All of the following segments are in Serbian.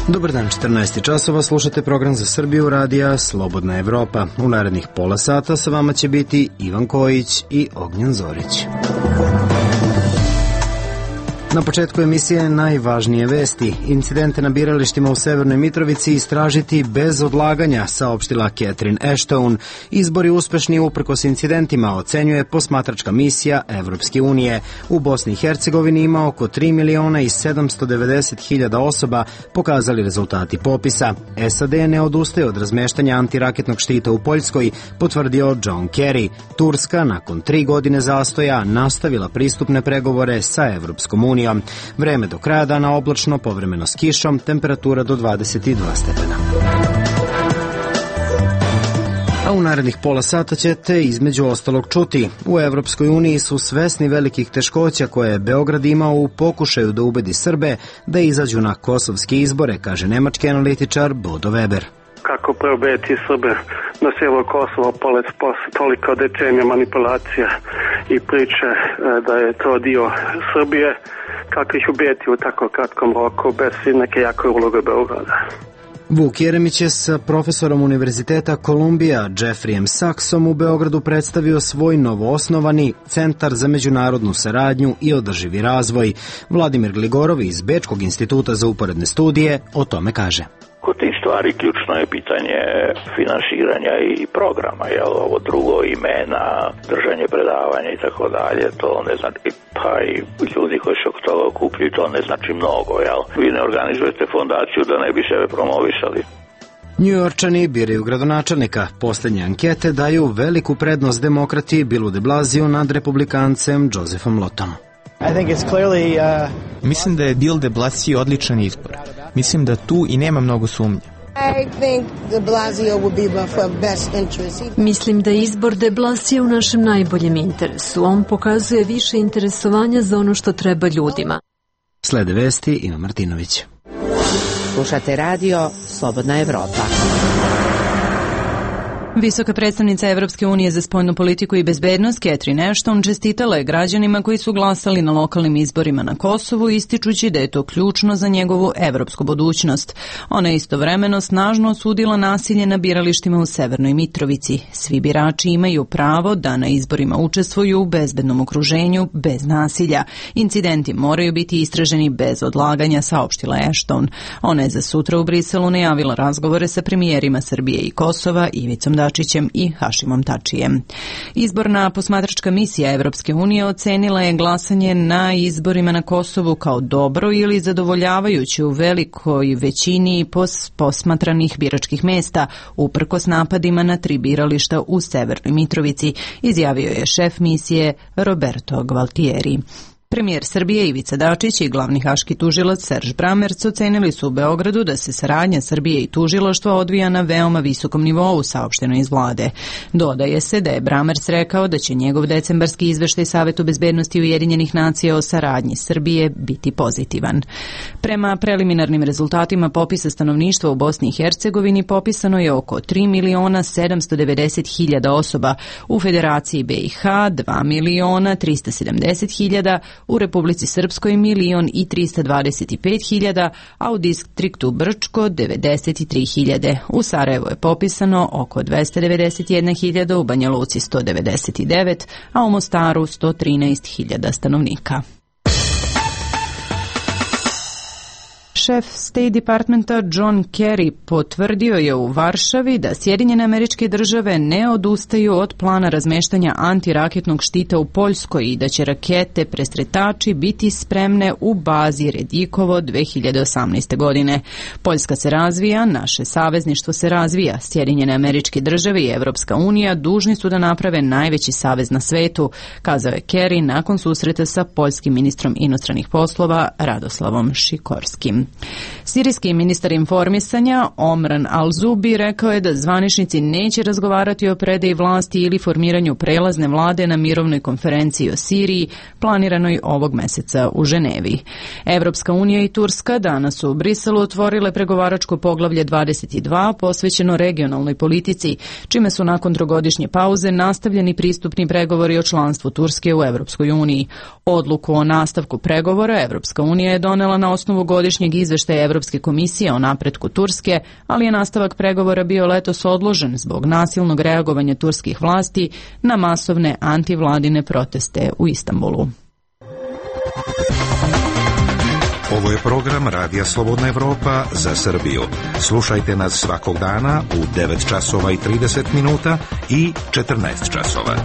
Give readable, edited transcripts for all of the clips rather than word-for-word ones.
Dobar dan, 14 časova, slušate program za Srbiju radija Slobodna Evropa. U narednih pola sata sa vama će biti Ivan Kojić i Ognjen Zorić. Na početku emisije najvažnije vesti. Incidente na biralištima u Severnoj Mitrovici istražiti bez odlaganja, saopštila Catherine Ashton. Izbori uspešni uprkos incidentima, ocenjuje posmatračka misija Evropske unije. U Bosni i Hercegovini ima oko 3.790.000 osoba, pokazali rezultati popisa. SAD ne odustaje od razmeštanja antiraketnog štita u Poljskoj, potvrdio John Kerry. Turska, nakon 3 godine zastoja, nastavila pristupne pregovore sa Evropskom unijom. Vreme do kraja dana oblačno, povremeno s kišom, temperatura do 22 stepena. A u narednih pola sata ćete između ostalog čuti. U Evropskoj uniji su svesni velikih teškoća koje je Beograd imao u pokušaju da ubedi Srbe da izađu na kosovske izbore, kaže nemački analitičar Bodo Weber. Kako preubediti Srbe na sjever Kosova posle toliko decenija manipulacija i priče da je to dio Srbije, kako ih ubediti u tako kratkom roku bez neke jake uloge Beograda. Vuk Jeremić je sa profesorom Univerziteta Kolumbija Jeffreyem Saxom u Beogradu predstavio svoj novoosnovani Centar za međunarodnu saradnju i održivi razvoj. Vladimir Gligorov iz Bečkog instituta za uporedne studije o tome kaže. Kod tih stvari ključno je pitanje finansiranja i programa, jel ovo drugo, imena, držanje predavanja i tako dalje, to ne znači, pa i ljudi koji se oko toga okupljaju, to ne znači mnogo, jel? Vi ne organizujete fondaciju da ne bi sebe promovisali. Njujorčani biraju gradonačelnika. Poslednje ankete daju veliku prednost demokrati Billu de Blasiju nad republikancem Josephom Lottom. Mislim da je Bill de Blasio odličan izbor. Mislim da tu i nema mnogo sumnje. Mislim da je izbor de Blasio u našem najboljem interesu. On pokazuje više interesovanja za ono što treba ljudima. Slede vesti, Ivan Martinović. Slušate radio Slobodna Evropa. Visoka predstavnica Evropske unije za spoljnu politiku i bezbednost Catherine Ashton čestitala je građanima koji su glasali na lokalnim izborima na Kosovu, ističući da je to ključno za njegovu evropsku budućnost. Ona je istovremeno snažno osudila nasilje na biralištima u Severnoj Mitrovici. Svi birači imaju pravo da na izborima učestvuju u bezbednom okruženju, bez nasilja. Incidenti moraju biti istraženi bez odlaganja, saopštila Ashton. Ona je za sutra u Briselu najavila razgovore sa premijerima Srbije i Kosova, Ivicom Dačićem i Hašimom Tačijem. Izborna posmatračka misija Evropske unije ocenila je glasanje na izborima na Kosovu kao dobro ili zadovoljavajuće u velikoj većini posmatranih biračkih mesta, uprkos napadima na 3 birališta u Severnoj Mitrovici, izjavio je šef misije Roberto Gvaltieri. Premijer Srbije Ivica Dačić i glavni haški tužilac Serž Bramerc ocenili su u Beogradu da se saradnja Srbije i tužilaštva odvija na veoma visokom nivou, saopšteno iz vlade. Dodaje se da je Bramerc rekao da će njegov decembarski izveštaj Savetu bezbednosti Ujedinjenih nacija o saradnji Srbije biti pozitivan. Prema preliminarnim rezultatima popisa stanovništva u Bosni i Hercegovini popisano je oko 3.790.000 osoba, u Federaciji BiH 2.370.000, u Republici Srpskoj 1.325.000, a u distriktu Brčko 93.000. U Sarajevo je popisano oko 291.000, u Banja Luci 199, a u Mostaru 113.000 stanovnika. Šef State Departmenta John Kerry potvrdio je u Varšavi da Sjedinjene Američke Države ne odustaju od plana razmeštanja antiraketnog štita u Poljskoj i da će rakete presretači biti spremne u bazi Redikovo 2018. godine. Poljska se razvija, naše savezništvo se razvija. Sjedinjene Američke Države i Evropska unija dužni su da naprave najveći savez na svetu, kazao je Kerry nakon susreta sa poljskim ministrom inostranih poslova Radoslavom Šikorskim. Sirijski ministar informisanja Omran Al-Zubi rekao je da zvaničnici neće razgovarati o predaji vlasti ili formiranju prelazne vlade na mirovnoj konferenciji o Siriji planiranoj ovog meseca u Ženevi. Evropska unija i Turska danas u Briselu otvorile pregovaračko poglavlje 22 posvećeno regionalnoj politici, čime su nakon trogodišnje pauze nastavljeni pristupni pregovori o članstvu Turske u Evropskoj uniji. Odluku o nastavku pregovora Evropska unija je donela na osnovu godišnjeg izveštaja Evropske Evropske komisije o napretku Turske, ali je nastavak pregovora bio letos odložen zbog nasilnog reagovanja turskih vlasti na masovne antivladine proteste u Istanbulu. Ovo je program Radija Slobodna Evropa za Srbiju. Slušajte nas svakog dana u 9 časova i 30 minuta i 14 časova.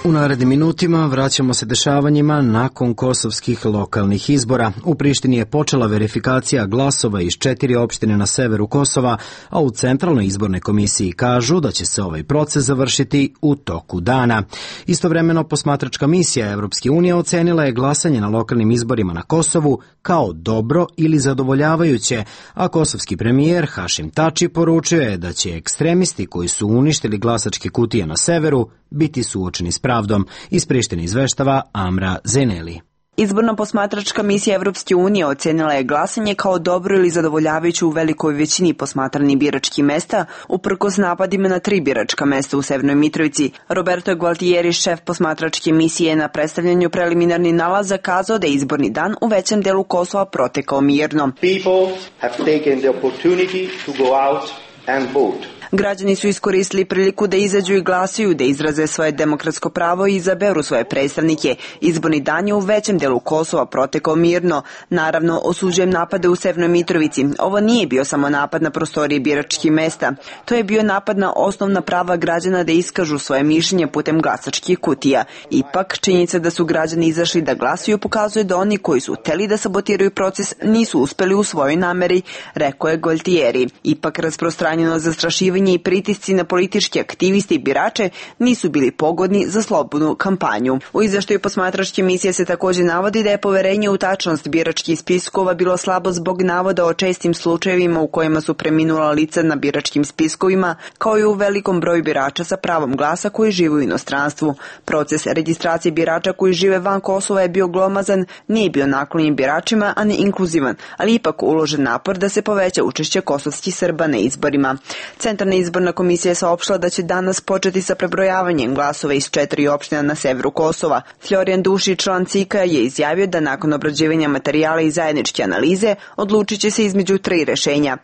U narednim minutima vraćamo se dešavanjima nakon kosovskih lokalnih izbora. U Prištini je počela verifikacija glasova iz 4 opštine na severu Kosova, a u Centralnoj izbornoj komisiji kažu da će se ovaj proces završiti u toku dana. Istovremeno, posmatračka misija Evropske unije ocenila je glasanje na lokalnim izborima na Kosovu kao dobro ili zadovoljavajuće, a kosovski premijer Hašim Tači poručio je da će ekstremisti koji su uništili glasačke kutije na severu biti suočeni s pravdom. Iz Prištine izveštava Amra Zeneli. Izborna posmatračka misija Evropske unije ocenila je glasanje kao dobro ili zadovoljavajuće u velikoj većini posmatranih biračkih mesta, uprkos napadima na 3 biračka mesta u Severnoj Mitrovici. Roberto Gualtieri, šef posmatračke misije, na predstavljanju preliminarnih nalaza kazao da je izborni dan u većem delu Kosova protekao mirno. People have taken the opportunity to go out and vote. Građani su iskoristili priliku da izađu i glasaju, da izraze svoje demokratsko pravo i izaberu svoje predstavnike. Izborni dan je u većem delu Kosova protekao mirno. Naravno, osuđujem napade u Severnoj Mitrovici. Ovo nije bio samo napad na prostorije biračkih mesta. To je bio napad na osnovna prava građana da iskažu svoje mišljenje putem glasačkih kutija. Ipak, činjenica da su građani izašli da glasuju pokazuje da oni koji su hteli da sabotiraju proces nisu uspeli u svojoj nameri, rekao je Gualtieri. Ipak, rasprostranjeno zastrašivanje i pritisci na političke aktiviste i birače nisu bili pogodni za slobodnu kampanju. U izveštaju posmatračke misije se također navodi da je poverenje u tačnost biračkih spiskova bilo slabo zbog navoda o čestim slučajevima u kojima su preminula lica na biračkim spiskovima, kao i u velikom broju birača sa pravom glasa koji žive u inostranstvu. Proces registracije birača koji žive van Kosova je bio glomazan, nije bio naklonjen biračima, a ne inkluzivan, ali ipak uložen napor da se poveća učešće kosovskih Srba na izborima. Centralna izborna komisija je saopštila da će danas početi sa prebrojavanjem glasova iz 4 opština na severu Kosova. Florijan Dušić, član CIK-a, je izjavio da nakon obrađivanja materijala i zajedničke analize odlučit će se između 3 rešenja.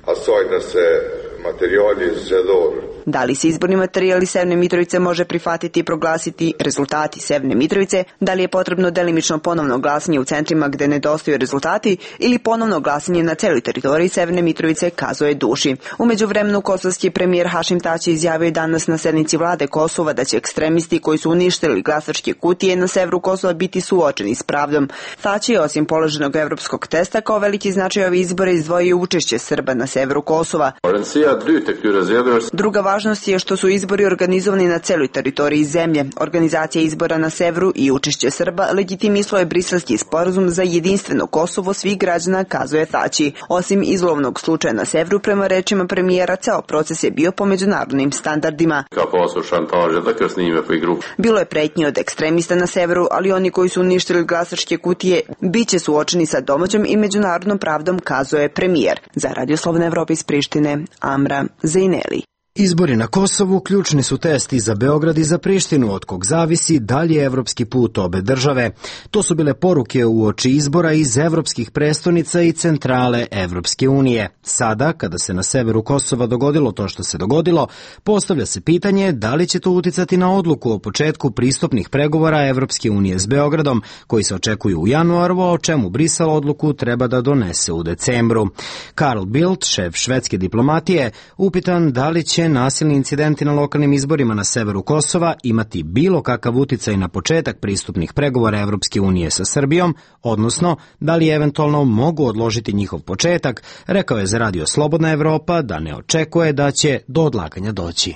Da li se izborni materijali Severne Mitrovice može prihvatiti i proglasiti rezultati Severne Mitrovice, da li je potrebno delimično ponovno glasanje u centrima gde nedostaju rezultati ili ponovno glasanje na celoj teritoriji Severne Mitrovice, kazao je Duši. U međuvremenu kosovski premijer Hašim Tači izjavio danas na sednici vlade Kosova da će ekstremisti koji su uništili glasačke kutije na severu Kosova biti suočeni s pravdom. Tači je osim položenog evropskog testa kao veliki značaj ove izbore izdvojio učešće Srba na severu Kosova. Druga važnost je što su izbori organizovani na celoj teritoriji zemlje. Organizacija izbora na severu i učešće Srba legitimisalo je Briselski sporazum za jedinstveno Kosovo svih građana, kazuje Tači. Osim izlovnog slučaja na severu, prema rečima premijera, ceo proces je bio po međunarodnim standardima. Bilo je pretnji od ekstremista na severu, ali oni koji su uništili glasačke kutije biće suočeni sa domaćom i međunarodnom pravdom, kazuje premijer. Za Radio Slobodna Evropa iz Prištine, Amra Zeneli. Izbori na Kosovu ključni su test i za Beograd i za Prištinu, od kog zavisi dalje evropski put obe države. To su bile poruke uoči izbora iz evropskih prestonica i centrale Evropske unije. Sada, kada se na severu Kosova dogodilo to što se dogodilo, postavlja se pitanje da li će to uticati na odluku o početku pristupnih pregovora Evropske unije s Beogradom, koji se očekuju u januaru, a o čemu Brisel odluku treba da donese u decembru. Carl Bildt, šef švedske diplomatije, upitan da li će nasilni incidenti na lokalnim izborima na severu Kosova imati bilo kakav uticaj na početak pristupnih pregovora Evropske unije sa Srbijom, odnosno da li eventualno mogu odložiti njihov početak, rekao je za Radio Slobodna Evropa da ne očekuje da će do odlaganja doći.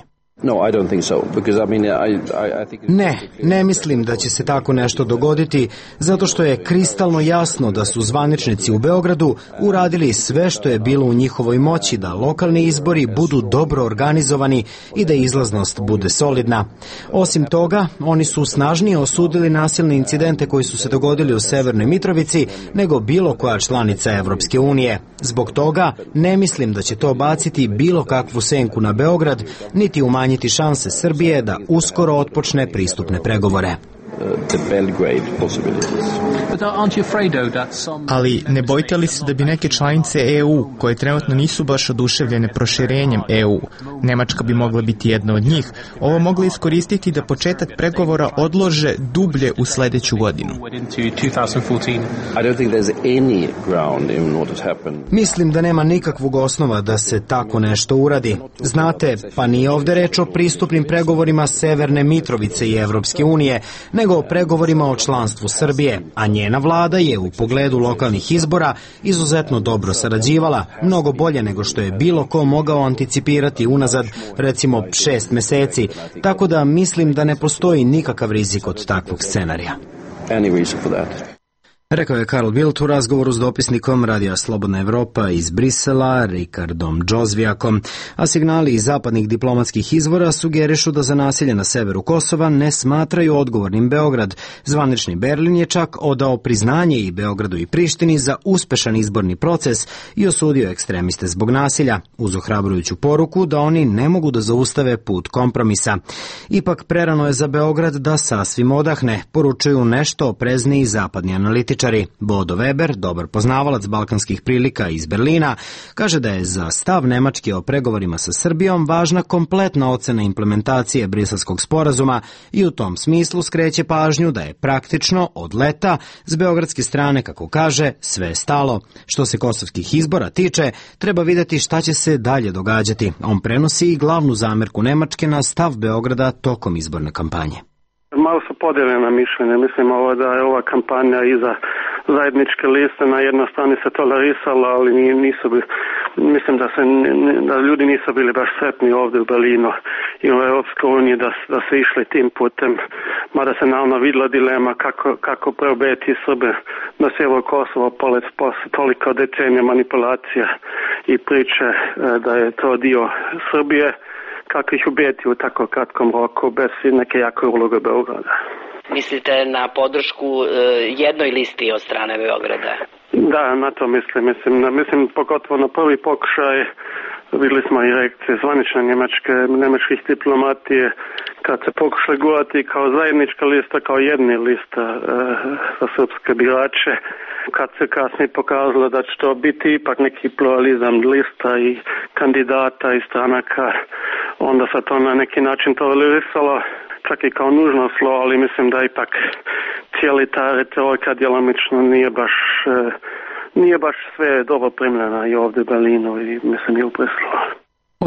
Ne mislim da će se tako nešto dogoditi, zato što je kristalno jasno da su zvaničnici u Beogradu uradili sve što je bilo u njihovoj moći da lokalni izbori budu dobro organizovani i da izlaznost bude solidna. Osim toga, oni su snažnije osudili nasilne incidente koji su se dogodili u Severnoj Mitrovici nego bilo koja članica Evropske unije. Zbog toga ne mislim da će to baciti bilo kakvu senku na Beograd, niti umanjiti šanse Srbije da uskoro otpočne pristupne pregovore. Ali ne bojite li se da bi neke članice EU, koje trenutno nisu baš oduševljene proširenjem EU, Nemačka bi mogla biti jedna od njih, ovo mogla iskoristiti da početak pregovora odlože dublje u sledeću godinu? Mislim da nema nikakvog osnova da se tako nešto uradi. Znate, pa nije ovde reč o pristupnim pregovorima Severne Mitrovice i Evropske unije, nego o pregovorima o članstvu Srbije, a njena vlada je u pogledu lokalnih izbora izuzetno dobro sarađivala, mnogo bolje nego što je bilo ko mogao anticipirati unazad, recimo 6 meseci, tako da mislim da ne postoji nikakav rizik od takvog scenarija. Rekao je Karl Bildt u razgovoru s dopisnikom Radija Slobodna Evropa iz Brisela, Rikardom Džozvijakom, a signali iz zapadnih diplomatskih izvora sugerišu da za nasilje na severu Kosova ne smatraju odgovornim Beograd. Zvanični Berlin je čak odao priznanje i Beogradu i Prištini za uspešan izborni proces i osudio ekstremiste zbog nasilja, uz ohrabrujuću poruku da oni ne mogu da zaustave put kompromisa. Ipak prerano je za Beograd da sasvim odahne, poručuju nešto oprezniji zapadni analitičari. Bodo Weber, dobar poznavalac balkanskih prilika iz Berlina, kaže da je za stav Nemačke o pregovorima sa Srbijom važna kompletna ocena implementacije Briselskog sporazuma i u tom smislu skreće pažnju da je praktično od leta s beogradske strane, kako kaže, sve stalo. Što se kosovskih izbora tiče, treba videti šta će se dalje događati. On prenosi i glavnu zamerku Nemačke na stav Beograda tokom izborne kampanje. Malo su podeljena mišljenja. Mislim da je ova kampanja iza zajedničke liste na jednoj strani se tolerisala, ali nisu bili, mislim da ljudi nisu bili baš sretni ovdje u Berlinu i u Europskoj uniji da se išli tim putem, mada se naravno vidjela dilema kako preobeti Srbe na sjeveru Kosova posle toliko decenija manipulacija i priče da je to dio Srbije, kako ih ubijeti u tako kratkom roku bez neke jake uloge Beograda. Mislite na podršku jednoj listi od strane Beograda? Da, na to mislim pogotovo na prvi pokušaj vidjeli smo i reakcije zvanične njemačkih diplomatije kad se pokušali gurati kao zajednička lista, kao jedni lista za srpske birače. Kad se kasnije pokazalo da će to biti ipak neki pluralizam lista i kandidata i stranaka, onda se to na neki način tolerisalo, čak i kao nužno slo, ali mislim da ipak cijeli ta retorika djelomično nije baš sve dobro primljena i ovdje u Berlinu i mislim i u Briselu.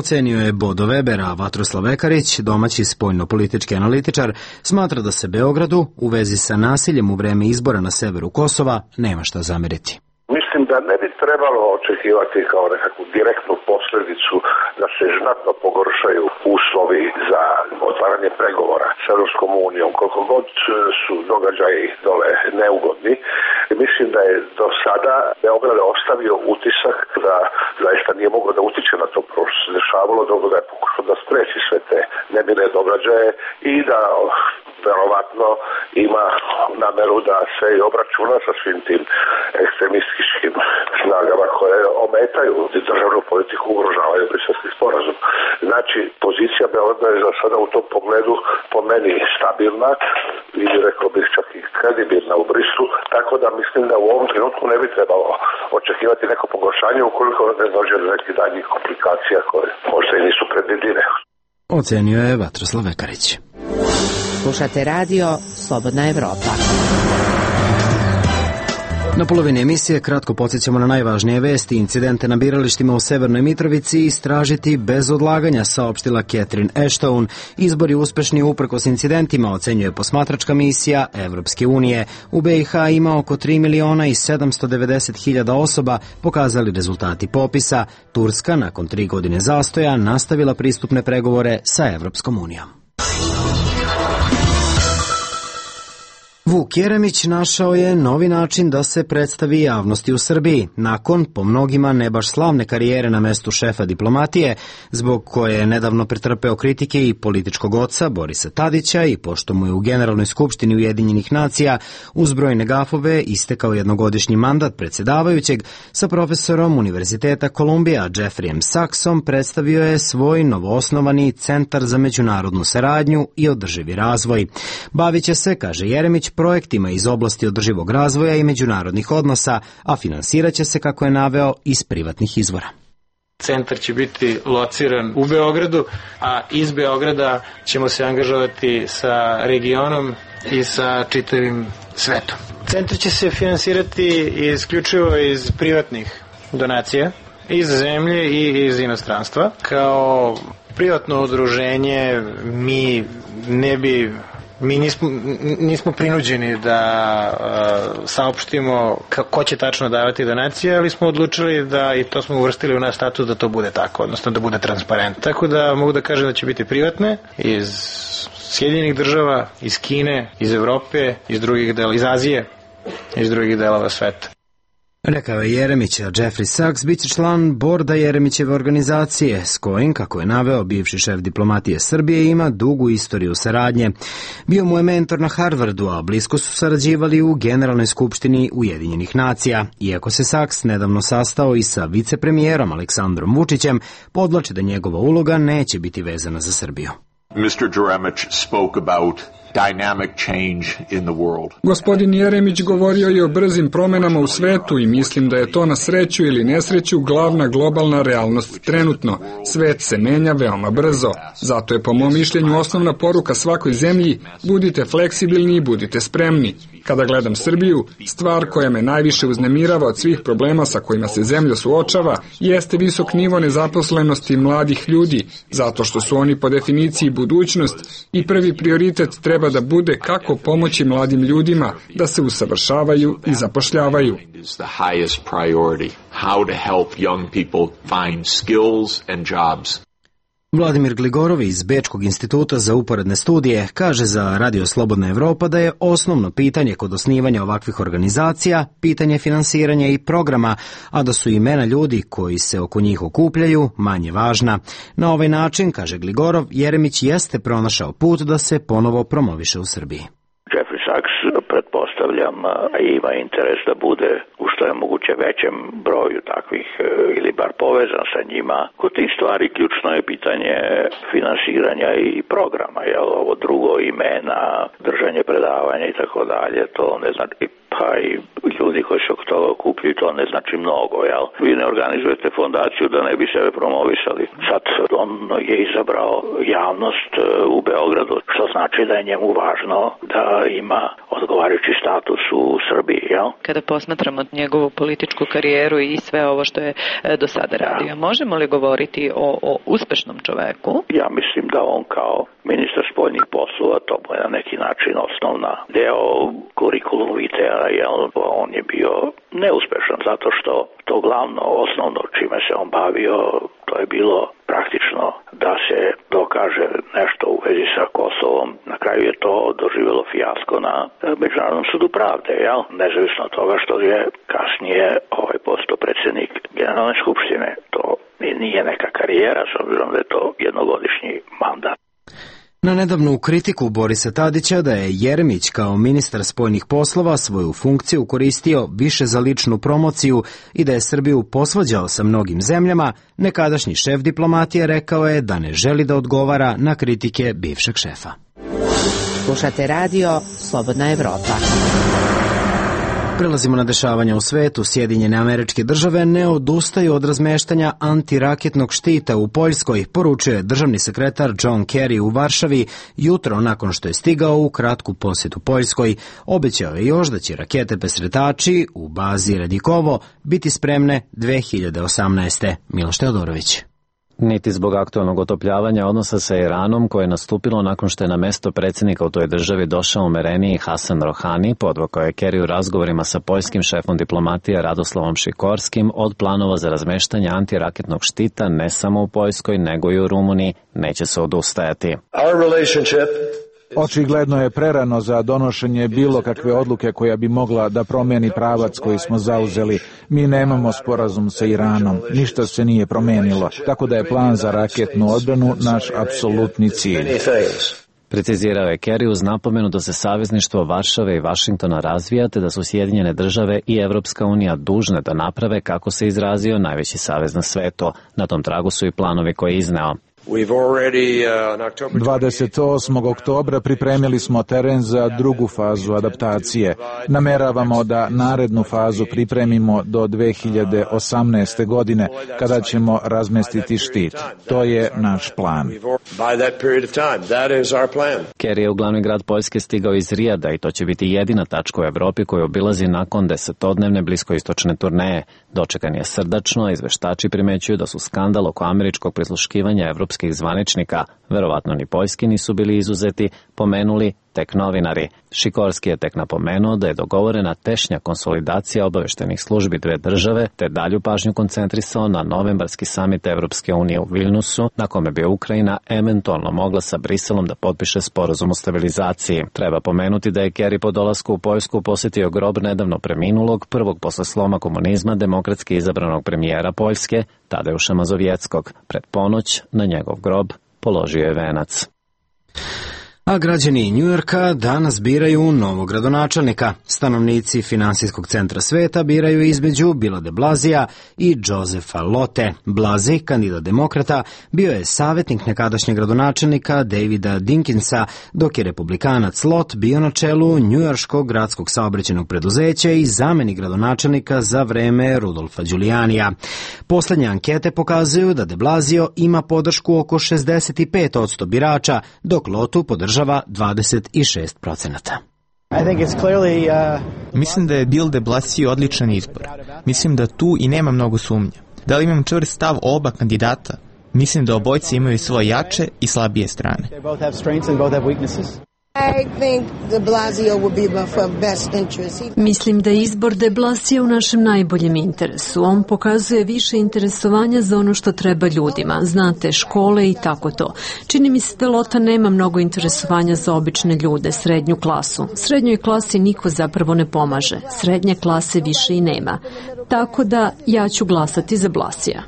Ocenio je Bodo Weber, a Vatroslav Vekarić, domaći spoljno-politički analitičar, smatra da se Beogradu u vezi sa nasiljem u vreme izbora na severu Kosova nema šta zameriti. Mislim da ne bi trebalo očekivati kao nekakvu direktnu posljedicu da se znatno pogoršaju uslovi za otvaranje pregovora s Europskom unijom, koliko god su događaji dole neugodni. Mislim da je do sada Beograd ostavio utisak da zaista nije mogao da utiče na to što se dešavalo, dok da je pokušao da spreči sve te nemile događaje i da verovatno ima nameru da se i obračuna sa svim tim ekstremističkim snagama koje ometaju državnu politiku, ugrožavaju Briselski sporazum. Znači, pozicija Beograda je za sada u tom pogledu po meni stabilna i rekao bih čak i kredibilna u Briselu, tako da mislim da u ovom trenutku ne bi trebalo očekivati neko pogoršanje ukoliko ne dođe do nekih daljnjih komplikacija koje možda i nisu predvidive. Ocenio je Vatroslav Vekarić. Slušate radio Slobodna Evropa. Na polovini emisije kratko podsjećamo na najvažnije vesti. Incidente na biralištima u Severnoj Mitrovici istražiti bez odlaganja, saopštila Catherine Ashton. Izbori uspešni uprkos incidentima, ocenjuje posmatračka misija Evropske unije. U BiH ima oko 3.790.000 osoba, pokazali rezultati popisa. Turska, nakon 3 godine zastoja, nastavila pristupne pregovore sa Evropskom unijom. Vuk Jeremić našao je novi način da se predstavi javnosti u Srbiji, nakon, po mnogima, ne baš slavne karijere na mestu šefa diplomatije, zbog koje je nedavno pretrpeo kritike i političkog oca Borisa Tadića i pošto mu je u Generalnoj skupštini Ujedinjenih nacija uz brojne gafove istekao jednogodišnji mandat predsjedavajućeg, sa profesorom Univerziteta Kolumbija Jeffreyem Sachsom predstavio je svoj novoosnovani Centar za međunarodnu saradnju i održivi razvoj. Bavit će se, kaže Jeremić, projektima iz oblasti održivog razvoja i međunarodnih odnosa, a finansirat će se, kako je naveo, iz privatnih izvora. Centar će biti lociran u Beogradu, a iz Beograda ćemo se angažovati sa regionom i sa čitavim svetom. Centar će se finansirati isključivo iz privatnih donacija, iz zemlje i iz inostranstva. Kao privatno udruženje mi nismo prinuđeni da saopštimo ko će tačno davati donacije, ali smo odlučili da, i to smo uvrstili u naš status, da to bude tako, odnosno da bude transparentno. Tako da mogu da kažem da će biti privatne iz Sjedinjenih država, iz Kine, iz Evrope, iz Azije, iz drugih delova sveta. Rekao je Jeremić, a Jeffrey Sachs bit će član borda Jeremićeve organizacije, s kojim, kako je naveo, bivši šef diplomatije Srbije ima dugu istoriju saradnje. Bio mu je mentor na Harvardu, a blisko su sarađivali u Generalnoj skupštini Ujedinjenih nacija. Iako se Sachs nedavno sastao i sa vicepremijerom Aleksandrom Vučićem, podvlači da njegova uloga neće biti vezana za Srbiju. Mr. Jeremić spoke about dynamic change in the world. Gospodin Jeremić govorio je o brzim promenama u svetu i mislim da je to na sreću ili nesreću glavna globalna realnost trenutno. Svet se menja veoma brzo. Zato je po mom mišljenju osnovna poruka svakoj zemlji: budite fleksibilni i budite spremni. Kada gledam Srbiju, stvar koja me najviše uznemirava od svih problema sa kojima se zemlja suočava jeste visok nivo nezaposlenosti mladih ljudi, zato što su oni po definiciji budućnost i prvi prioritet treba da bude kako pomoći mladim ljudima da se usavršavaju i zapošljavaju. Vladimir Gligorov iz Bečkog instituta za uporedne studije kaže za Radio Slobodna Evropa da je osnovno pitanje kod osnivanja ovakvih organizacija pitanje finansiranja i programa, a da su imena ljudi koji se oko njih okupljaju manje važna. Na ovaj način, kaže Gligorov, Jeremić jeste pronašao put da se ponovo promoviše u Srbiji. Jeffrey Sachs, pretpostavljam, ima interes da bude u što je moguće većem broju takvih ili bar povezan sa njima. Kod tih stvari ključno je pitanje finansiranja i programa, jel ovo drugo, imena, držanje predavanja i tako dalje, to ne znači, pa i ljudi koji se oko toga okupljaju, to ne znači mnogo, jel? Vi ne organizujete fondaciju da ne bi sebe promovisali. Sad on je izabrao javnost u Beogradu, što znači da je njemu važno da ima odgovarajući status u Srbiji, jel? Kada posmatramo njegovu političku karijeru i sve ovo što je do sada radio, možemo li govoriti o uspešnom čoveku? Ja mislim da on kao ministar spoljnih poslova, to je na neki način osnovna deo kurikulum vitea, jel? On je bio neuspešan zato što to glavno, osnovno čime se on bavio, to je bilo praktično da se dokaže nešto u vezi sa Kosovom. Na kraju je to doživjelo fijasko na Međunarodnom sudu pravde, jel? Nezavisno od toga što je kasnije postao predsjednik Generalne skupštine. To nije neka karijera, s obzirom da je to jednogodišnji mandat. Na nedavnu kritiku Borisa Tadića da je Jeremić kao ministar spoljnih poslova svoju funkciju koristio više za ličnu promociju i da je Srbiju posvađao sa mnogim zemljama, nekadašnji šef diplomatije rekao je da ne želi da odgovara na kritike bivšeg šefa. Slušate radio Slobodna Evropa. Prelazimo na dešavanja u svetu. Sjedinjene Američke Države ne odustaju od razmeštanja antiraketnog štita u Poljskoj, poručuje državni sekretar John Kerry u Varšavi jutro nakon što je stigao u kratku posjetu Poljskoj. Obećao je još da će rakete presretači u bazi Radikovo biti spremne 2018. Miloš Teodorović. Niti zbog aktualnog otopljavanja odnosa sa Iranom, koje je nastupilo nakon što je na mesto predsjednika u toj državi došao umereniji Hasan Rohani, podvukao je Kerry u razgovorima sa poljskim šefom diplomatije Radoslavom Šikorskim od planova za razmeštanje antiraketnog štita ne samo u Poljskoj, nego i u Rumuniji, neće se odustajati. Our relationship Očigledno je prerano za donošenje bilo kakve odluke koja bi mogla da promeni pravac koji smo zauzeli. Mi nemamo sporazum sa Iranom, ništa se nije promenilo, tako da je plan za raketnu odbranu naš apsolutni cilj. Precizirao je Kerry uz napomenu da se savezništvo Varšave i Vašingtona razvija, te da su Sjedinjene države i Evropska unija dužne da naprave, kako se izrazio, najveći savez na svetu. Na tom tragu su i planovi koje je izneo. 28. oktobra pripremili smo teren za drugu fazu adaptacije. Nameravamo da narednu fazu pripremimo do 2018. godine, kada ćemo razmestiti štit. To je naš plan. Kerry je u glavni grad Poljske stigao iz Rijada i to će biti jedina tačka u Evropi koju obilazi nakon 10-dnevne bliskoistočne turneje. Dočekan je srdačno, izveštači primećuju da su skandal oko američkog prisluškivanja evropskih zvaničnika, verovatno ni poljski nisu bili izuzeti, pomenuli tek novinari. Šikorski je tek napomenuo da je dogovorena tešnja konsolidacija obaveštenih službi dve države, te dalju pažnju koncentrisao na novembarski samit Evropske unije u Vilnusu, na kome bi Ukrajina eventualno mogla sa Briselom da potpiše sporazum o stabilizaciji. Treba pomenuti da je Kerry po dolasku u Poljsku posjetio grob nedavno preminulog, prvog posle sloma komunizma, demokratski izabranog premijera Poljske, Tadeuša Mazovjeckog. Pred ponoć na njegov grob položio je venac. A građani Njujorka danas biraju novog gradonačelnika. Stanovnici finansijskog centra sveta biraju između Billa de Blasija i Josefa Lotte. Blasey, kandidat demokrata, bio je savjetnik nekadašnjeg gradonačelnika Davida Dinkinsa, dok je republikanac Lott bio na čelu njujorškog gradskog saobraćajnog preduzeća i zamenik gradonačelnika za vreme Rudolfa Giulianija. Poslednje ankete pokazuju da de Blasio ima podršku oko 65% birača, dok Lottu podržava 26%. Mislim da je Bill de Blasio odličan izbor. Mislim da tu i nema mnogo sumnja. Da li imam čvrst stav o oba kandidata? Mislim da obojci imaju svoje jače i slabije strane. Mislim da je izbor de Blasija u našem najboljem interesu. On pokazuje više interesovanja za ono što treba ljudima, znate, škole i tako to. Čini mi se da Lotta nema mnogo interesovanja za obične ljude, srednju klasu. Srednjoj klasi niko zapravo ne pomaže. Srednje klase više i nema. Tako da ja ću glasati za Blasija.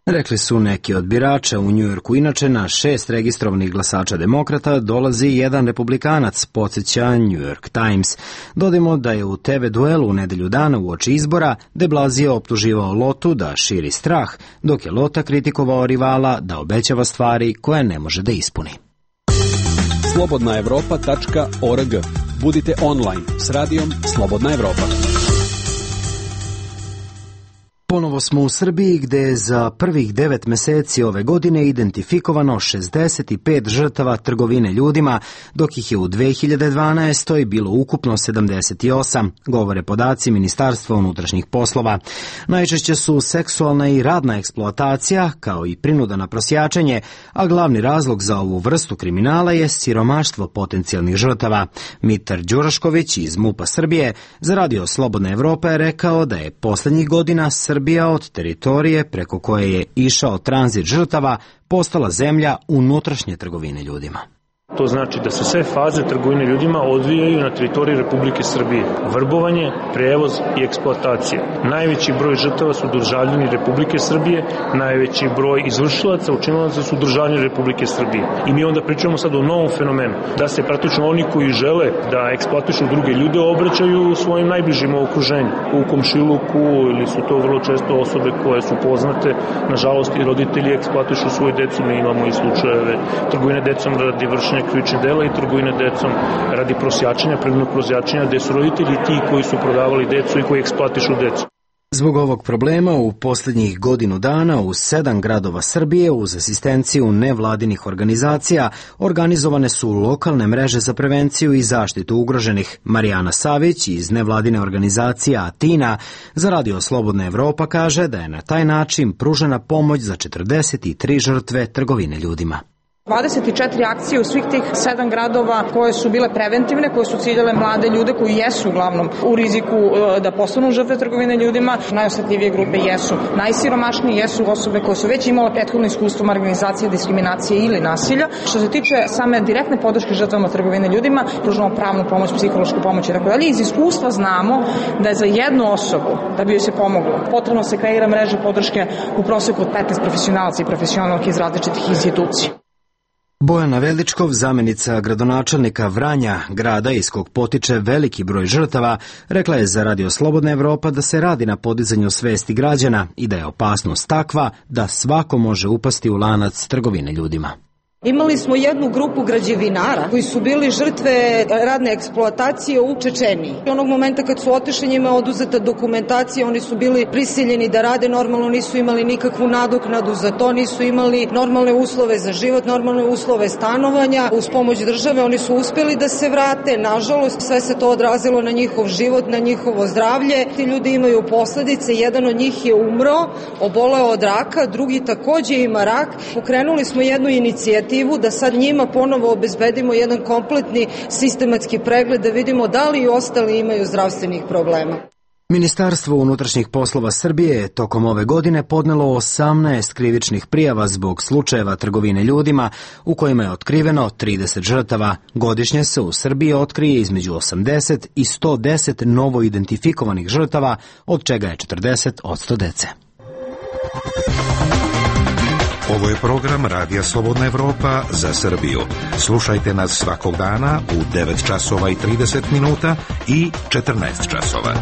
Rekli su neki od birača u Njujorku. Inače, na 6 registrovanih glasača demokrata dolazi jedan republikanac, podsjeća New York Times. Dodajmo da je u TV duelu u nedelju dana uoči izbora de Blasio optuživao Lottu da širi strah, dok je Lotta kritikovao rivala da obećava stvari koje ne može da ispuni. slobodnaevropa.org. Budite online s radijom Slobodna Evropa. Ponovo smo u Srbiji, gde je za prvih 9 meseci ove godine identifikovano 65 žrtava trgovine ljudima, dok ih je u 2012. bilo ukupno 78, govore podaci Ministarstva unutrašnjih poslova. Najčešće su seksualna i radna eksploatacija, kao i prinuda na prosjačenje, a glavni razlog za ovu vrstu kriminala je siromaštvo potencijalnih žrtava. Mitar Đurašković iz MUP-a Srbije za Radio Slobodna Evropa je rekao da je poslednjih godina Srbija od teritorije preko koje je išao tranzit žrtava postala zemlja unutrašnje trgovine ljudima. To znači da se sve faze trgovine ljudima odvijaju na teritoriji Republike Srbije. Vrbovanje, prevoz i eksploatacija. Najveći broj žrtava su državljani Republike Srbije, najveći broj izvršilaca, učinilaca su državljani Republike Srbije. I mi onda pričamo sad o novom fenomenu, da se praktično oni koji žele da eksploatišu druge ljude obraćaju svojim najbližim okruženju. U komšiluku ili su to vrlo često osobe koje su poznate. Nažalost i roditelji eksploatišu svoju decu. Mi imamo i slučajeve trgovine decom radi vršenja krivičnih dela i trgovine decom radi prosjačenja, prirodnog prosjačenja, gde su roditelji ti koji su prodavali decu i koji eksploatišu decu. Zbog ovog problema u poslednjih godinu dana u 7 gradova Srbije uz asistenciju nevladinih organizacija organizovane su lokalne mreže za prevenciju i zaštitu ugroženih. Marijana Savić iz nevladine organizacije Atina za Radio Slobodna Evropa kaže da je na taj način pružena pomoć za 43 žrtve trgovine ljudima. 24 akcije u svih tih 7 gradova koje su bile preventivne, koje su ciljale mlade ljude koji jesu uglavnom u riziku da postanu žrtve trgovine ljudima. Najosetljivije grupe jesu najsiromašnije, jesu osobe koje su već imale prethodno iskustvo marginalizacije, diskriminacije ili nasilja. Što se tiče same direktne podrške žrtvama trgovine ljudima, pružamo pravnu pomoć, psihološku pomoć i tako dalje. Iz iskustva znamo da je za jednu osobu, da bi joj se pomoglo, potrebno se kreira mreža podrške u proseku od 15 profesionalaca i profesionalki iz različitih institucija. Bojana Veličkov, zamenica gradonačelnika Vranja, grada iz kog potiče veliki broj žrtava, rekla je za Radio Slobodna Evropa da se radi na podizanju svesti građana i da je opasnost takva da svako može upasti u lanac trgovine ljudima. Imali smo jednu grupu građevinara koji su bili žrtve radne eksploatacije u Čečeniji. Onog momenta kad su otišli, njima je oduzeta dokumentacija, oni su bili prisiljeni da rade normalno, nisu imali nikakvu nadoknadu za to, nisu imali normalne uslove za život, normalne uslove stanovanja. Uz pomoć države oni su uspeli da se vrate. Nažalost, sve se to odrazilo na njihov život, na njihovo zdravlje. Ti ljudi imaju posledice, jedan od njih je umro, oboleo od raka, drugi takođe ima rak. Pokrenuli smo jednu inicijativu da sad njima ponovo obezbedimo jedan kompletni sistematski pregled da vidimo da li i ostali imaju zdravstvenih problema. Ministarstvo unutrašnjih poslova Srbije je tokom ove godine podnelo 18 krivičnih prijava zbog slučajeva trgovine ljudima u kojima je otkriveno 30 žrtava. Godišnje se u Srbiji otkrije između 80 i 110 novo identifikovanih žrtava, od čega je 40% dece. Ovo je program Radija Slobodna Evropa za Srbiju. Slušajte nas svakog dana u 9 časova i 30 minuta i 14 časova.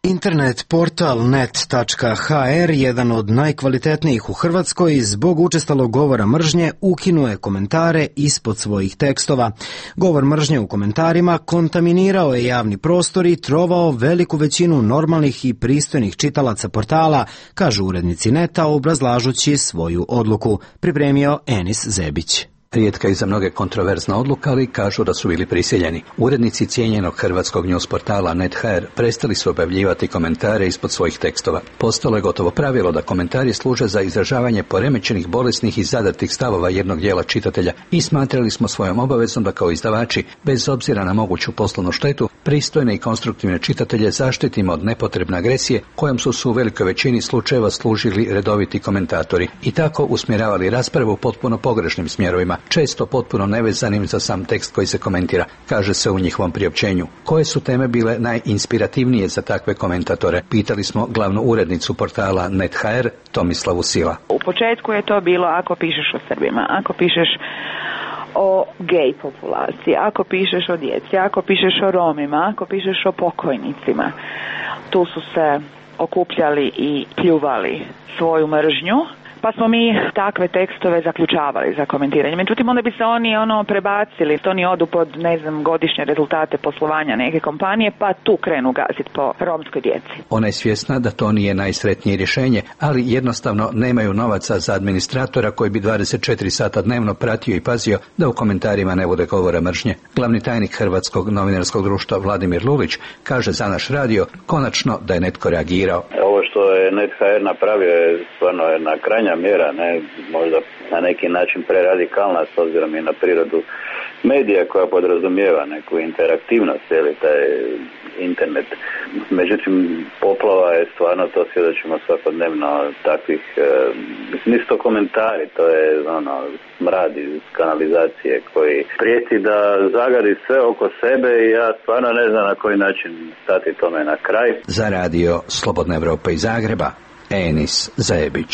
Internet portal net.hr, jedan od najkvalitetnijih u Hrvatskoj, zbog učestalog govora mržnje ukinuje komentare ispod svojih tekstova. Govor mržnje u komentarima kontaminirao je javni prostor i trovao veliku većinu normalnih i pristojnih čitalaca portala, kažu urednici Neta obrazlažući svoju odluku, pripremio Enis Zebić. Rijetka i za mnoge kontroverzna odluka, ali kažu da su bili prisiljeni. Urednici cijenjenog hrvatskog news portala Net.hr prestali su objavljivati komentare ispod svojih tekstova. Postalo je gotovo pravilo da komentari služe za izražavanje poremećenih, bolesnih i zadatih stavova jednog dijela čitatelja i smatrali smo svojom obavezom da kao izdavači, bez obzira na moguću poslovnu štetu, pristojne i konstruktivne čitatelje zaštitimo od nepotrebne agresije kojom su u velikoj većini slučajeva služili redoviti komentatori i tako usmjeravali raspravu potpuno pogrešnim smjerovima, često potpuno nevezanim za sam tekst koji se komentira, kaže se u njihovom priopćenju. Koje su teme bile najinspirativnije za takve komentatore? Pitali smo glavnu urednicu portala Net.hr, Tomislavu Sila. U početku je to bilo ako pišeš o Srbima, ako pišeš o gej populaciji, ako pišeš o djeci, ako pišeš o Romima, ako pišeš o pokojnicima. Tu su se okupljali i pljuvali svoju mržnju, pa smo mi takve tekstove zaključavali za komentiranje. Međutim, onda bi se oni prebacili, to oni odu pod, godišnje rezultate poslovanja neke kompanije, pa tu krenu gaziti po romskoj djeci. Ona je svjesna da to nije najsretnije rješenje, ali jednostavno nemaju novaca za administratora koji bi 24 sata dnevno pratio i pazio da u komentarima ne bude govora mržnje. Glavni tajnik Hrvatskog novinarskog društva Vladimir Lulić kaže za naš radio konačno da je netko reagirao. Ovo što je Net.hr napravio je stvarno jedna krajnja mjera, možda na neki način preradikalna s obzirom i na prirodu medija koja podrazumijeva neku interaktivnost, taj internet. Međutim, poplava je stvarno, to svjedočimo svakodnevno takvih, nisu to komentari, to je smrad iz kanalizacije koji prijeti da zagadi sve oko sebe i ja stvarno ne znam na koji način stati tome na kraj. Za radio Slobodna Evropa iz Zagreba, Enis Zebić.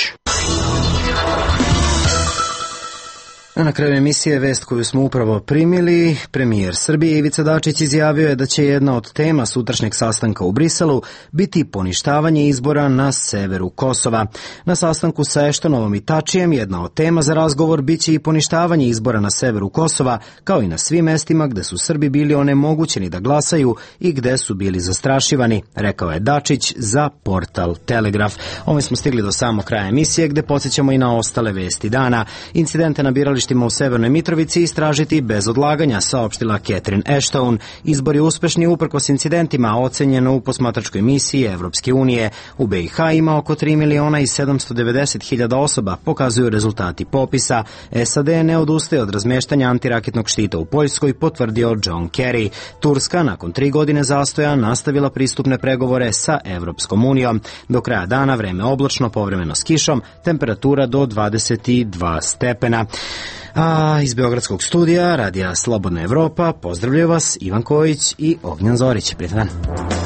Na kraju emisije vest koju smo upravo primili, premijer Srbije Ivica Dačić izjavio je da će jedna od tema sutrašnjeg sastanka u Briselu biti poništavanje izbora na severu Kosova. Na sastanku sa Eštonovom i Tačijem jedna od tema za razgovor biće i poništavanje izbora na severu Kosova, kao i na svim mestima gde su Srbi bili onemogućeni da glasaju i gde su bili zastrašivani, rekao je Dačić za portal Telegraf. Ovim smo stigli do samog kraja emisije gde podsjećamo i na ostale vesti dana. Incidente na biralištima bojištima u Severnoj Mitrovici istražiti bez odlaganja, saopštila Catherine Ashton. Izbor je uspešni uprkos incidentima, ocenjeno u posmatračkoj misiji Evropske unije. U BiH ima oko 3.790.000 osoba, pokazuju rezultati popisa. SAD ne odustaje od razmeštanja antiraketnog štita u Poljskoj, potvrdio John Kerry. Turska nakon 3 godine zastoja nastavila pristupne pregovore sa Evropskom unijom. Do kraja dana vreme oblačno, povremeno s kišom, temperatura do 22 stepena. A iz Beogradskog studija Radija Slobodna Evropa pozdravljaju vas Ivan Kojić i Ognjan Zorić. Prijetan dan.